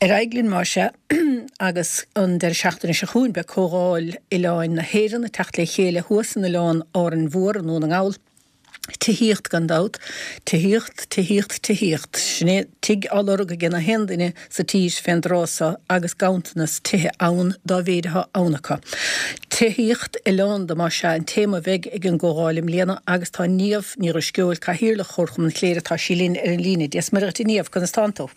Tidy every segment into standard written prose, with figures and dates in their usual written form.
Ar aghaidh linn más ea, agus an deireadh seachtaine seo chugainn beidh Comhdháil Oileáin na hÉireann ag teacht le chéile thuas in Oileán Árainn Mhór i nDún na nGall. Tithíocht gan dabht. Tithíocht, tithíocht, tithíocht. Sin é, tigh á lorg ag na haon duine sa tír fén dtráth so agus ganntanas tithe ann dá mhéid atá ann acu. Tithíocht Oileánda más ea an téama a bheidh ag an gComhdháil i mbliana agus tá Niamh Ní Dhrisceoil, Cathaoirleach Chomharchumann Chléire, tá sí linn ar an líne. Dia 's Muire dhuit a Niamh, conas tánn tú?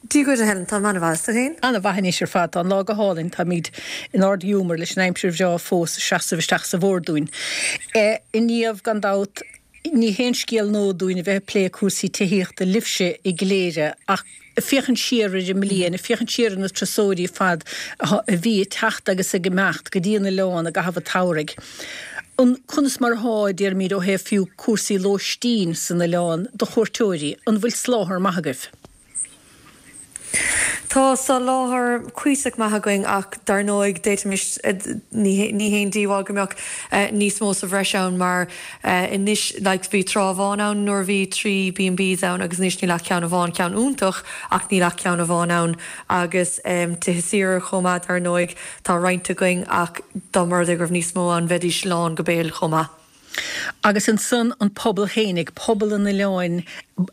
Dia dhuit a Helen, táim an-mhaith, is tú féin? An-mhaith anois ar fad, tá an lá go hálainn, táimid in ard-ghiúmar leis an aimsir bhreá fós ag seasamh isteach sa bhfómhar dúinn. A Niamh, gan dabht, ní haon scéal nua dúinn a bheith ag plé cúrsaí tithíochta libhse i gCléire ach ag féachaint siar ar an mbliain, ag féachaint siar ar na turasóirí ar fad a bhí ag teacht agus ag imeacht go dtí an oileán i gcaitheamh an tsamhraidh. An, conas mar atá, déarfaimid, ó thaobh fiú cúrsaí lóistín san oileán do chuairteoirí, an bhfuil soláthar maith agaibh? Tá soláthar cuíosach maith againn ach dar ndóigh d'fhéadfaimis, ní haon díobháil go mbeadh níos mó sa bhreis ann mar anois like bhí tráth amháin ann nuair a bhí 3 B&Bs ann agus anois níl ach ceann amháin, ceann iontach ach níl ach ceann amháin ann agus tithe saoire chomh maith dar ndóigh. Tá roinnt againn ach dá mba rud é go raibh níos mó ann bheidís lán go béal chomh maith. Agus ansan an pobal fhéinig, pobal an oileáin,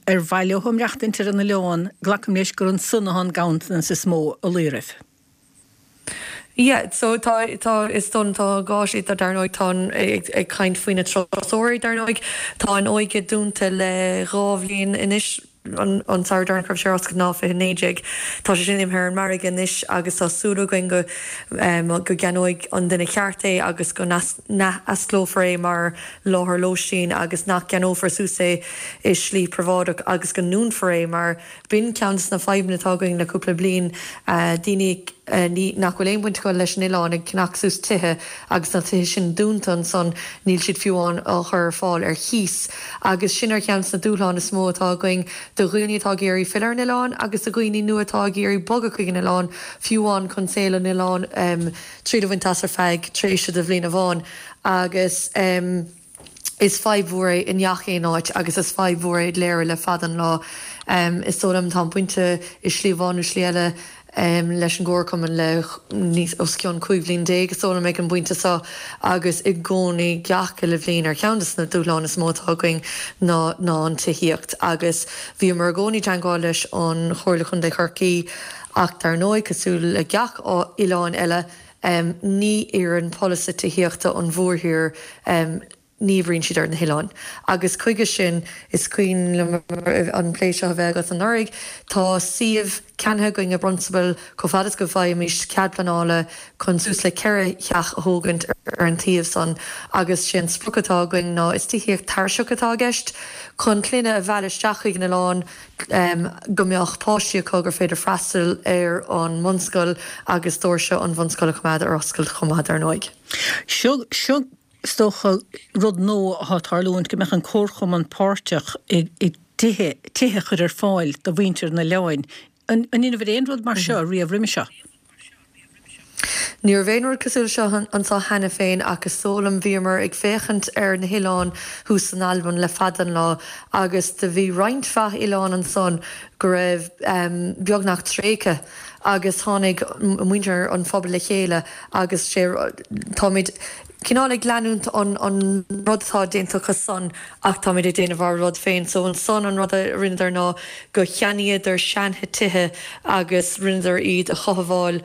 ar mhaith leo maireachtaint ar an oileán, glacaim leis gur ansan atá an ganntanas is mó a luí oraibh. Yeah, so tá, tá, is dóigh liom tá gá sé, dar ndóigh tá an, ag, ag caint faoi na turasóirí dar ndóigh, tá an Óige dúnta le dhá bhliain anois, an samhradh deireanach a raibh sé ar oscailt ná 2019. Tá sé sin imithe ar an margadh anois agus tá súil againn go go gceannóidh an duine ceart é agus go n-athosclófar é mar láthair lóistín agus nach gceannófar suas é i slí príobháideach agus go ndúnfar é mar b'in ceann de na fadhbanna atá againn le cúpla bliain, daoine nach bhfuil aon bhaint acu leis an oileán ag ceannach suas tithe agus na tithe sin dúnta ansan, níl siad fiú amháin á chur ar fáil ar chíos. Agus sin ar cheann de na dúshláin is mó atá againn do dhaoine atá ag iarraidh filleadh ar an oileán agus do dhaoine nua atá ag iarraidh bogadh chuig an oileán, fiú amháin chun saol an oileáin triail a bhaint as ar feadh tréimhse de bhliain amháin. Agus. Is fadhb mhór é i ngach aon áit agus is fadhb mhór é i gCléire le fada an lá. Is dóigh liom, táim bainte i slí amháin nó slí eile leis an gComharchumann le níos os cionn 15 bhliain is dóigh liom ag an bpointe seo agus i gcónaí gach uile bhliain ar cheann de na dúshláin is mó atá againn ná ná an tithíocht agus bhíomar i gcónaí i dteangmháil leis an Chomhairle Chontae Chorcaí ach dar ndóigh cosúil le gach oileán eile Ní oireann polasaithe tithíochta an mhórthír, ní oibríonn siad ar na hoileáin. Agus chuige sin, is cuimhin liom an plé seo a bheith agat anuraidh, tá suíomh ceannaithe againn i bprionsabal chomh fada is go bhfaighimís cead pleanála chun suas le 4 theach a thógaint ar an tsuíomh san agus sé an sprioc atá againn ná, is tithíocht tairiseach atá i gceist, chun clainne a mhealladh isteach chuig an oileán. go mbeadh páistí acu gur féidir freastal ar an mbunscoil agus doirse an bhunscoil a choimeád ar oscailt chomh maith dar ndóigh. Seo, seo is dócha rud nua atá ag tarlúint, go mbeadh an Comharchumann páirteach i dtithe, tithe a chur ar fáil do mhuintir an oileáin. An, an ndéanfar aon rud mar seo riamh roimhe seo? Ní raibh aon rud cosúil seo anseo cheana féin ach is dóigh liom bhíomar ag féachaint ar na hoileáin thuas san Albain le fada an lá agus do bhí roinnt mhaith oileán ansan go raibh beagnach tréigthe agus tháinig muintir an phobail le chéile agus sé táimid cineál ag leanúint an an rud atá déanta acu san ach táimid ag déanamh ár rud féin. So ansan an rud a rinneadar ná go cheannaíodar seantithe agus rinneadar iad a chothabháil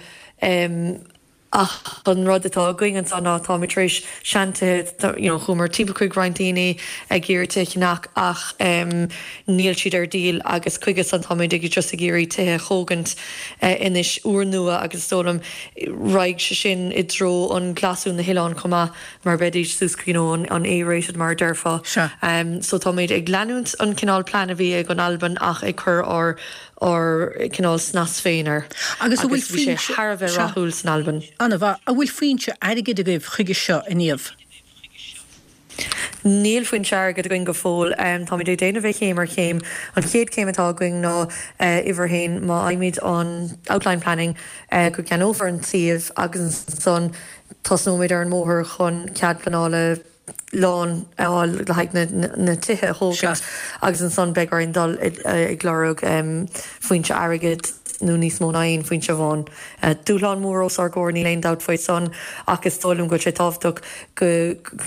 ach an rud atá againn anso ná táimid tar éis seantithe you know chuamar timpeall chuig roinnt daoine ag iarraidh tithe a cheannach ach níl siad ar díol agus chuige san táimid ag just ag iarraidh tithe a thógaint anois úrnua agus is dóigh liom Raghaidh sé sin i dtreo an glasú na hoileáin chomh maith mar beidís suas you know an A-rated mar a déarfá. Sea. So táimid ag leanúint an cineál plean a bhí ag an Albain ach ag cur ár ár cineál snas féin air. Agus an bhfuil Agus bhí sé foinse, thar a bheith sea. rathúil san Albain. An-mhaith. An bhfuil foinse airgid agaibh chuige seo, a Niamh? Níl foinse airgid againn go fóill. Táimid ag déanamh é chéim ar chéim. An chéad chéim atá againn ná uimhir a haon, má fhaighimid an outline planning, go gceannófar an suíomh agus ansan tosnóimid ar an mbóthar chun cead pleanála lán a fháil le haghaidh na tithe a thógaint agus ansan beidh orainn dul ag lorg foinse airgid. nó níos mó ná aon phointe amháin. Dúshlán mór os ár gcomhair, níl aon dabht faoi san, ach is dóigh liom go bhfuil sé tábhachtach go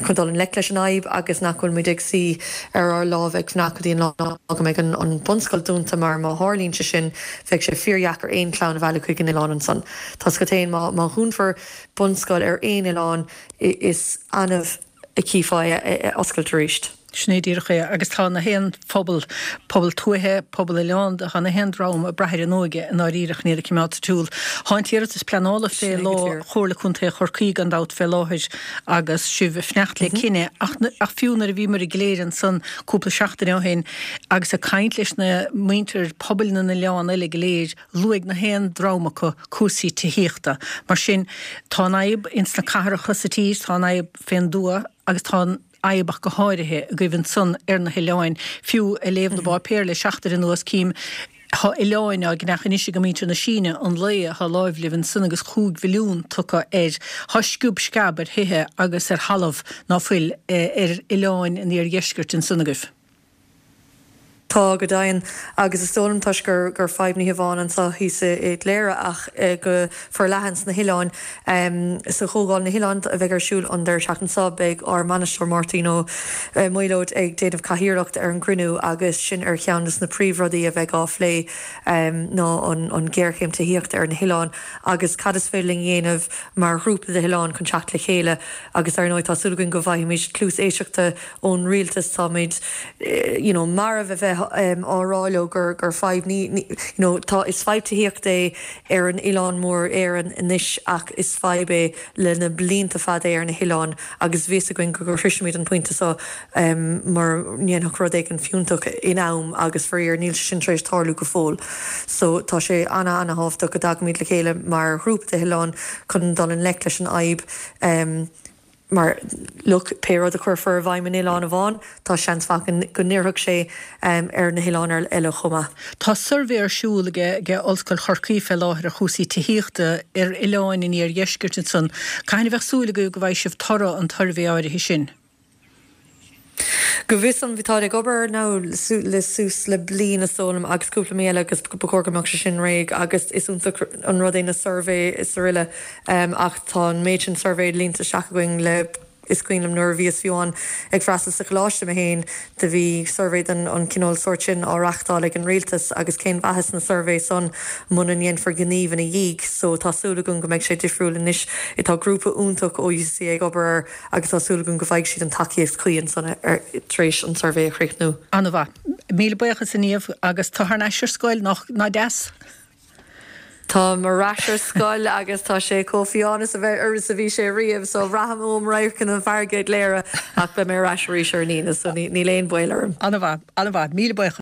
chun dul i ngleic leis an fhadhb agus nach bhfuil muid ag suí ar ár lámha ag fanacht go dtí an lá go mbeidh an bunscoil dúnta mar má tharlaíonn sé sin bheadh sé fíordheacair aon chlann a mhealladh chuig an oileán ansan. Tá 's agat féin má má dhúnfar bunscoil ar aon oileán is annamh a chífeá é ag oscailt arís. Sin é díreach é. Agus tá na haon phobal, pobal tuaithe, pobal oileánda, tá na haon dream ag brath ar an óige i ndáiríre chun iad a choimeád sa tsiúl. Tá an t-iarratas pleanála fé Sin é go díreach. Chomhairle Contae Chorcaí gan dabht fé láthair agus sibh ag fanacht le cinneadh. Ach, ach fiú nuair a bhíomar i gCléire ansan cúpla seachtain ó shin agus ag caint leis na muintir pobail na n-oileán eile go léir, Luaigh na haon dream acu cúrsaí tithíochta. Mar sin, tá an fhadhb ins na cathracha sa tír, tá an fhadhb fén dtuath agus tá an fhadhb ach go háirithe agaibh ansan ar na hoileáin. Fiú ag léamh na bpáipéar le seachtain anuas cím tá oileáin á gceannach anois ag muintir na Síne, an Lao atá láimh libh ansan agus chúig mhilliún tugtha air. Tá sciob sceab ar thithe agus ar thalamh ná fuil ar oileáin an iardheiscirt ansan agaibh. Tá, go deimhin. Agus is dóigh liom, toisc gur gur fadhb ní hamháin anseo thíos i gCléire ach go forleathan sna hoileáin. Sa Chomhdháil na hOileán a bheidh ar siúl an deireadh seachtaine seo, beidh ár mbainisteoir Máirtín Ó Maolóid ag déanamh cathaoirleacht ar an gcruinniú agus sin ar cheann de na príomhrudaí a bheidh á phlé ná an ghéarchéim tithíochta ar na hoileáin agus cad is féidir linn a dhéanamh mar ghrúpa de hoileáin chun teacht le chéile agus ar ndóigh tá súil againn go bhfaighimid cluas éisteachta ón rialtas táimid you know marbh a bheith á rá leo gur gur fadhb ní ní you know tá is fadhb tithíochta é ar an oileán mór Éireann anois ach is fadhb é le na blianta fada é ar na hoileáin agus bhí fhios againn go sroisfimid an pointe seo mura ndéanfadh rud éigin fiúntach in am agus faraor níl sé sin tar éis tarlú go fóill so tá sé ana ana thábhachtach go dtagaimid le chéile mar ghrúpa de hoileáin chun dul i ngleic leis an fhadhb. Mar, look, pé rud a chuirfear i bhfeidhm in oileán amháin, tá seans mhaith go n-oirfeadh sé ar na hoileáin eile chomh maith. Tá suirbhé ar siúl ag Ollscoil Chorcaí fé láthair ar chúrsaí tithíochta ar oileáin an iardheiscirt ansan. Cathain a bheadh súil agaibh go bhfaighidh sibh toradh an tsuirbhé áirithe sin? Go bhfios dom, bhí táid ag obair air now le suas le bliain is dóigh liom agus cúpla mí eile agus ba chóir go mbeadh sé sin réidh agus is iontach an rud é na suirbhé is aroile ach tá an méid sin suirbhé líonta isteach againn le is cuimhin liom nuair a bhíos fiú amháin ag freastal sa choláiste mé féin do bhí suirbhé den an cineál sórt sin á reachtáil ag an rialtas agus cén mhaitheas na suirbhé san muna ndéanfar gníomh ina dhiaidh so tá súil agam go mbeidh sé difriúil anois tá grúpa iontach ó UCC ag obair air agus tá súil agam go bhfaighidh siad an tacaíocht chuí ansan tar éis an suirbhé a chríochnú. An-mhaith. Míle buíochas a Niamh agus tú thar n-ais ar scoil, nach deas? Táim ar ais ar scoil agus tá sé chomh fiáin is a bheith is a bhí sé riamh so braithim uaim radharcanna na farraige i gCléire ach beidh mé ar ais arís ar an Aoine so níl aon bhaol orm. An-mhaith, an-mhaith. Míle buíochas.